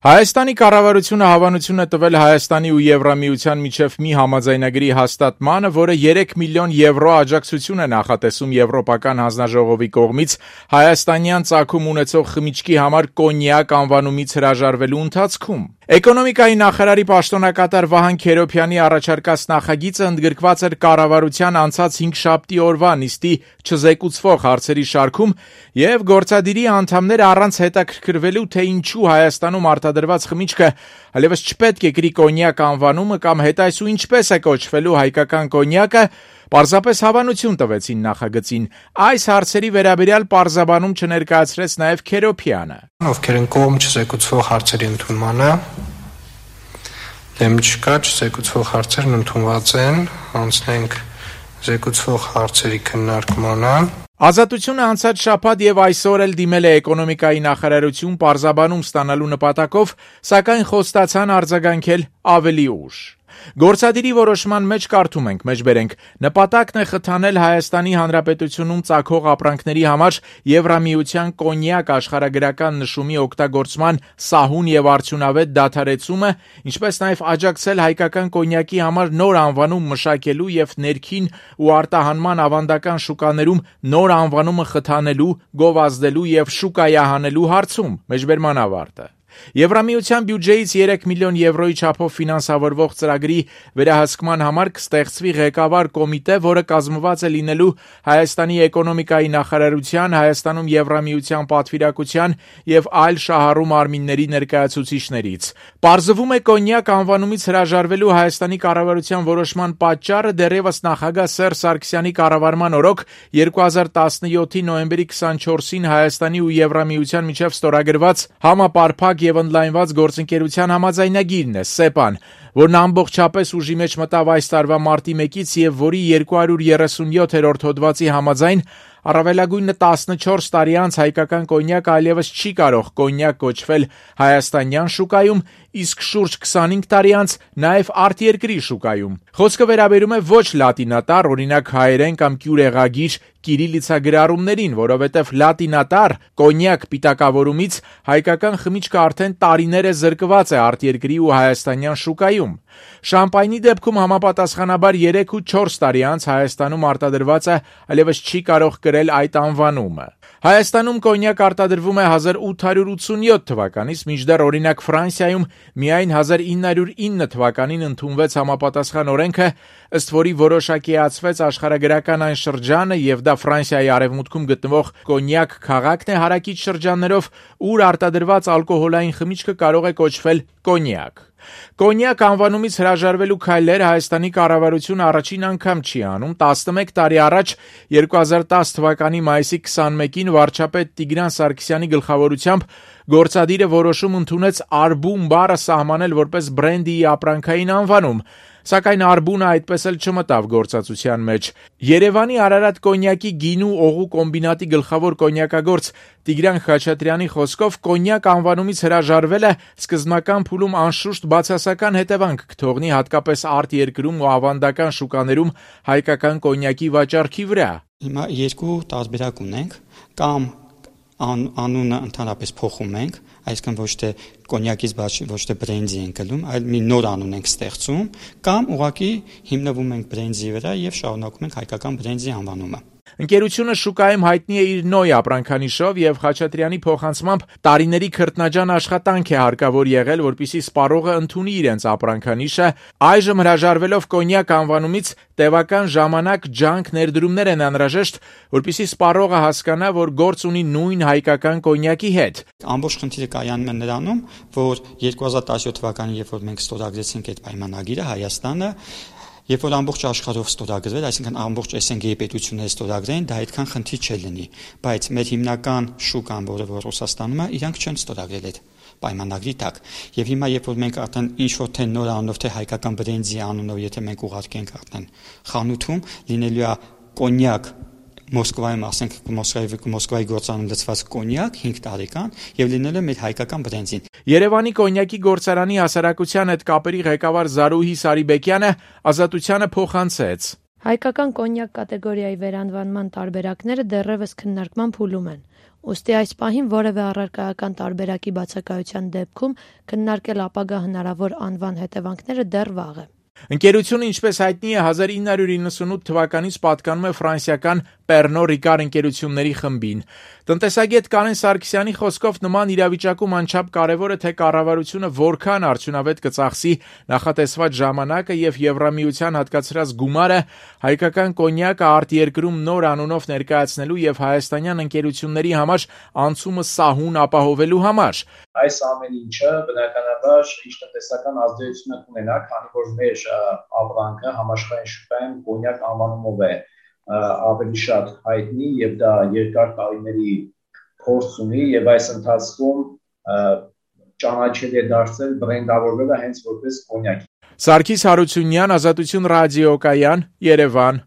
Հայաստանի կառավարությունը հավանություն է տվել Հայաստանի ու Եվրամիության միջև մի համաձայնագրի հաստատմանը, որը 3 միլիոն եվրո աջակցություն է նախատեսում Եվրոպական հանձնաժողովի կողմից հայաստանյան ծագում ունեցող խմիչքի համար կոնյակ անվանումից հրաժարվելու ընթացքում։ Էկոնոմիկայի նախարարի պաշտոնակատար Վահան Քերոբյանի առաջարկած նախագիծը ընդգրկված էր կառավարության անցած 5 օրվա նիստի չզեկուցվող հարցերի շարքում եւ գործադիրի անդամները առանց հետաքրքրվելու, թե ինչու Հայաստանում արտադրված խմիչքը այլևս չպետք է կրի կոնյակ անվանումը կամ հետայսու ինչպես է կոչվելու հայկական կոնյակը, պարզապես հավանություն տվեցին նախագծին։ Այս հարցերի վերաբերյալ պարզաբանում չներկայացրեց նաև Քերոբյանը։ Ովքեր են կողմ չզեկուցվող հարցերի ընդունմանը, դեմ չկա, չզեկուցվող հարցերն ընդունված են, անցնենք զեկուցվող հարցերի քննարկմանը։ Ազատությունը անցած շաբաթ եւ այսօր էլ դիմել է էկոնոմիկայի նախարարություն պարզաբանում ստանալու նպատակով, սակայն խոստացան արձագանքել ավելի ուշ։ Գործադիրի որոշման մեջ կարդում ենք, մեջբերենք, նպատակն է խթանել Հայաստանի Հանրապետությունում ծագող ապրանքների համար Եվրամիության կոնյակ աշխարհագրական նշումի օգտագործման սահուն եւ արդյունավետ դադարեցումը, ինչպես նաեւ աջակցել հայկական կոնյակի համար նոր անվանում մշակելու եւ ներքին ու արտահանման ավանդական շուկաներում նոր անվանումը խթանելու, գովազդելու եւ շուկայահանելու հարցում, մեջբերման ավարտը։ Եվրամիության բյուջեից 3 միլիոն եվրոյի չափով ֆինանսավորվող ծրագրի վերահսկման համար կստեղծվի ղեկավար կոմիտե, որը կազմված է լինելու Հայաստանի էկոնոմիկայի նախարարության, Հայաստանում Եվրամիության պատվիրակության եւ այլ շահառու մարմինների ներկայացուցիչներից։ Պարզվում է կոնյակ անվանումից հրաժարվելու Հայաստանի կառավարության որոշման պատճառը դեռևս նախագահ Սերժ Սարգսյանի կառավարման օրոք 2017-ի նոյեմբերի 24-ին Հայաստանի ու Եվրամիության միջև ստորագրված համապարփակ եւ ընդլայնված գործընկերության համաձայնագիրն է, ՍԵՊԱ-ն, որն ամբողջապես ուժի մեջ մտավ այս տարվա մարտի 1-ից եւ որի 237-րդ հոդվածի համաձայն առավելագույնը 14 տարի անց հայկական կոնյակը այլևս չի կարող կոնյակ կոչվել հայաստանյան շուկայում, իսկ շուրջ 25 տարի անց նաև արտերկրի շուկայում։ Խոսքը վերաբերում է ոչ լատինատար, օրինակ հայերեն կամ կյուրեղագիր կիրիլիցագրառումներին, որովհետև լատինատար կոնյակ պիտակավորումից հայկական խմիչքը արդեն տարիներ է զրկված է արտերկրի ու հայաստանյան շուկայում։ Շամպայնի դեպքում համապատասխանաբար 3 ու 4 տարի անց Հայաստանում արտադրվածը այլևս չի կարող կրել այդ անվանումը։ Հայաստանում կոնյակ արտադրվում է 1887 թվականից, մինչդեռ օրինակ Ֆրանսիայում միայն 1909 թվականին ընդունվեց համապատասխան օրենքը, ըստ որի որոշակիացվեց աշխարհագրական այն շրջանը եւ դա Ֆրանսիայի արևմուտքում գտնվող կոնյակ քաղաքն է հարակից շրջաններով, ուր արտադրված ալկոհոլային խմիչքը կարող է կոչվել կոնյակ։ Կոնյակ անվանումից հրաժարվելու քայլերը Հայաստանի կառավարությունը առաջին անգամ չի անում։ 11 տարի առաջ 2010 թվականի մայիսի 21-ին վարչապետ Տիգրան Սարգսյանի գլխավորությամբ գործադիրը որոշում ընդունեց արբուն բառը սահմանել որպես բրենդի ապրանքային անվանում, սակայն արբունը այդպես էլ չմտավ գործածության մեջ։ Երևանի Արարատ կոնյակի գինու օղու կոմբինատի գլխավոր կոնյակագործ Տիգրան Խաչատրյանի խոսքով կոնյակ անվանումից հրաժարվելը սկզբնական փուլում անշուշտ բացասական հետևանք կթողնի հատկապես արտերկրում ու ավանդական շուկաներում հայկական կոնյակի վաճառքի վրա։ Հիմա երկու տարբերակ ունենք, կամ անունը ընդհանրապես փոխում ենք, այսինքն ոչ թե կոնյակից ոչ թե բրենդի ենք գնում, այլ մի նոր անուն ենք ստեղծում, կամ ուղղակի հիմնվում ենք բրենդի վրա եւ շարունակում ենք հայկական բրենդի անվանումը։ Ընկերությունը շուկայում հայտնի է իր նոյ ապրանքանիշով եւ Խաչատրյանի փոխանցմամբ տարիների քրտնաջան աշխատանք է հարկավոր եղել, որպեսզի սպառողը ընդունի իրենց ապրանքանիշը, այժմ հրաժարվելով կոնյակ անվանումից տևական ժամանակ ջանք ներդրումներ են անհրաժեշտ, որպեսզի սպառողը հասկանա, որ գործ ունի նույն հայկական կոնյակի հետ։ Ամբողջ խնդիրը կայանում է նրանում, որ 2017 թվականին, երբ որ մենք ստորագրեցինք այդ պայմանագիրը, Հայաստանը Երբ որ ամբողջ աշխարհով ստորագրվել, այսինքն ամբողջ ՍՆԳ-ի պետությունները ստորագրեն, դա այդքան խնդիր չլինի, բայց մեր հիմնական շուկան, որը Ռուսաստանում է, իրանք չեն ստորագրել այդ պայմանագրի տակ։ Եվ հիմա երբ որ մենք արդեն ինչ-որ թե նոր անունով, թե հայկական բրենդի անունով, եթե մենք ուղարկենք արդեն խանութում, լինելու է կոնյակ Մոսկվայում, ասենք Մոսկվայի գործարանում լցված կոնյակ 5 տարեկան եւ լինել է մեր հայկական բրենդին։ Երևանի կոնյակի գործարանի հասարակության հետ կապերի ղեկավար Զարուհի Սարիբեկյանը ազատությանը փոխանցեց. Հայկական կոնյակ կատեգորիայի վերանվանման տարբերակները դեռևս քննարկման փուլում են։ Ուստի այս պահին որևէ առարկայական տարբերակի բացակայության դեպքում քննարկել ապագա հնարավոր անվան հետևանքները դեռ վաղ է։ Ընկերությունը, ինչպես հայտնի է, 1998 թվականից պատկանում է ֆրանսիական Pernod Ricard ընկերությունների խմբին։ Տնտեսագետ Կարեն Սարգսյանի խոսքով նման իրավիճակում անչափ կարևոր է, թե կառավարությունը որքան արդյունավետ կծախսի նախատեսված ժամանակը եւ Եվրամիության հատկացրած գումարը հայկական կոնյակը արտերկրում նոր անունով ներկայացնելու եւ հայաստանյան ընկերությունների համար անցումը սահուն ապահովելու համար։ Այս ամեն ինչը բնականաբար ինչ տնտեսական ազդեցություն կունենա, քանի որ մեր ապրանքը համաշխարհային շուկայում կոնյակ անվանումով է ավելի շատ հայտնի եւ դա երկար տարիների փորձ ունի եւ այս ընթացքում ճանաչելի է դարձել բրենդավորվելը հենց որպես կոնյակ։ Սարգիս Հարությունյան, Ազատություն ռադիոկայան, Երևան։